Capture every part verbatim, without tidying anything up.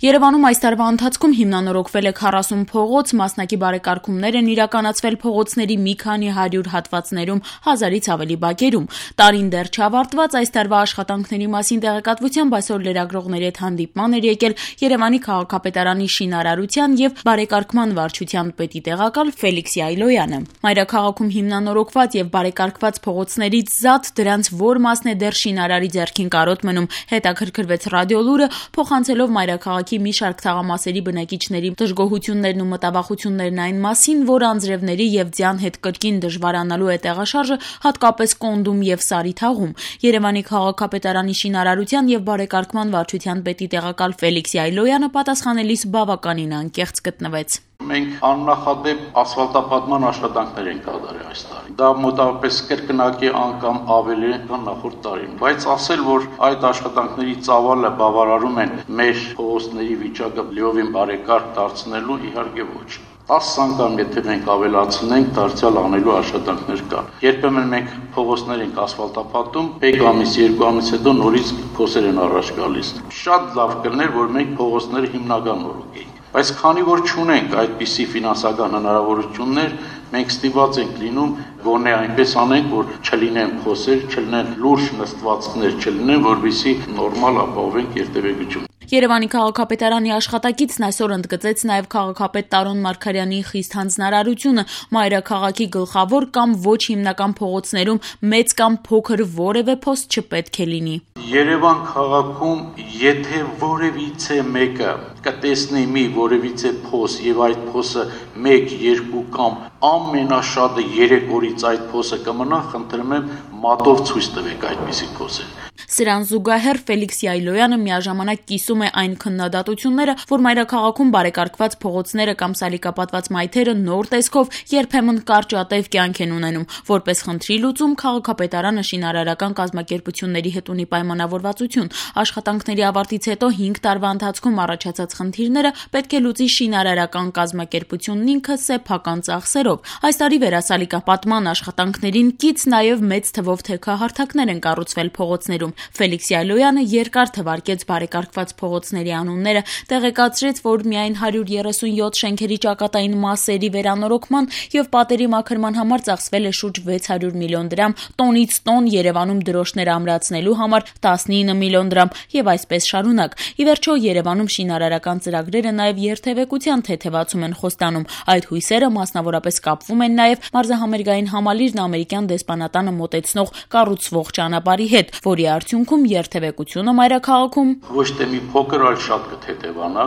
Երևանում այս տարվա ընթացքում հիմնանորոգվել է քառասուն փողոց, մասնակի բարեկարգումներ են իրականացվել փողոցների մի քանի հարյուր հատվածներում, հազարից ավելի բակերում։ Տարին դեռ չավարտված, այս տարվա աշխատանքների մասին տեղեկատվությամբ այսօր լրագրողների հետ հանդիպման էր եկել Երևանի քաղաքապետարանի շինարարության և բարեկարգման վարչության պետի տեղակալ Ֆելիքս Յայլոյանը։ Մայրաքաղաքում հիմնանորոգված և բարեկարգված փողոցներից զատ դրանց որ մասն է դեռ շինարարի ձեռքին կարոտ մնում, հետաքրքրվեց Ռադիոլուրը, փոխանցելով մայրաքաղաքի մի շարք թաղամասերի բնակիչների դժգոհություններն ու մտավախություններն այն մասին, որ անձրևների և ձյան հետ կրկին դժվարանալու է տեղաշարժը, հատկապես Կոնդում և Սարիթաղում։ Երևանի քաղաքապետարանի շինարարության և բարեկարգման վարչության պետի տեղակալ Ֆելիքս Յայլոյանը պատասխանելիս բավականին անկեղծ գտնվեց։ Մենք աննախադեպ ասֆալտապատման աշխատանքներ ենք կատարել այս տարի։ Դա մոտավորապես կրկնակի անգամ ավելի քան նախորդ տարին, բայց ասել, որ այդ աշխատանքների ծավալը բավարարում են մեր փողոցների վիճակը լիովին բարեկարգ դարձնելու, իհարկե ոչ։ տասը անգամ եթե մենք ավելացնենք, դարձյալ անելու աշխատանքներ կան։ Երբեմն մենք փողոցներ ենք ասֆալտապատում, մեկ ամիս, երկու ամիս հետո նորից փոսեր են առաջ գալիս։ Շատ լավ կլիներ, որ մենք փողոցները հիմնական նորոգեինք։ Բայց քանի որ չունենք այդպիսի ֆինանսական հնարավորություններ, մենք ստիպված ենք լինում գոնե այնպես անենք, որ չլինեն փոսեր, չլինեն լուրջ նստվածքներ, չլինեն, որովհետեւ նորմալ ապահովենք երթևեկություն։ Երևանի քաղաքապետարանի աշխատակիցն այսօր ընդգծեց նաև քաղաքապետ Տարոն Մարգարյանի խիստ հանձնարարությունը մայրաքաղաքի գլխավոր կամ ոչ հիմնական փողոցներում մեծ կամ փոքր որևէ փոս չպետք է լինի։ Երևան քաղաքում եթե որևիցե մեկը կտեսնի մի որևիցե փոս եւ այդ փոսը մեկ, երկու կամ ամենաշատը երեք օրից այդ փոսը կմնա, խնդրում եմ մատով ցույց տվեք այդպիսի փոսեր։ Սրան զուգահեռ Ֆելիքս Յայլոյանը միաժամանակ կիսում է այն քննադատությունները, որ մայրաքաղաքում բարեկարգված փողոցները կամ սալիկապատված մայթերը նոր տեսքով երբեմն կարճատև կյանք են ունենում։ Որպես խնդրի լուծում քաղաքապետարանը շինարարական կազմակերպությունների հետ ունի պայմանավորվածություն։ Աշխատանքների ավարտից հետո հինգ տարվա ընթացքում առաջացած խնդիրները պետք է լուծի շինարարական կազմակերպությունն ինքը սեփական ծախսերով։ Այս տարի վերասալիկապատման աշխատանքներին կից նաև մեծ թվով թեքահարթակներ են կառուցվել փողոցներում։ Ֆելիքս Յայլոյանը երկար թվարկեց բարեկարգված փողոցների անունները, տեղեկացրեց, որ միայն հարյուր երեսունյոթ շենքերի ճակատային մասերի վերանորոգման և պատերի մաքրման համար ծախսվել է շուրջ վեց հարյուր միլիոն դրամ, տոնից տոն Երևանում դրոշներ ամրացնելու համար տասնինը միլիոն դրամ և այսպես շարունակ։ Ի վերջո Երևանում շինարարական ծրագրերը նաև երթևեկության թեթևացում են խոստանում։ Այդ հույսերը մասնավորապես կապվում են նաև մարզահամերգային համալիրն ամերիկյան դեսպանատանը մոտեցնող կառուցվող ճանապարհի հետ, որի արդյունքում երթևեկությունը մայրաքաղաքում ոչ թե մի փոքր, այլ շատ կթեթևանա։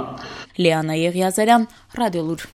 Լիանա Եղիազարյան, Ռադիոլուր։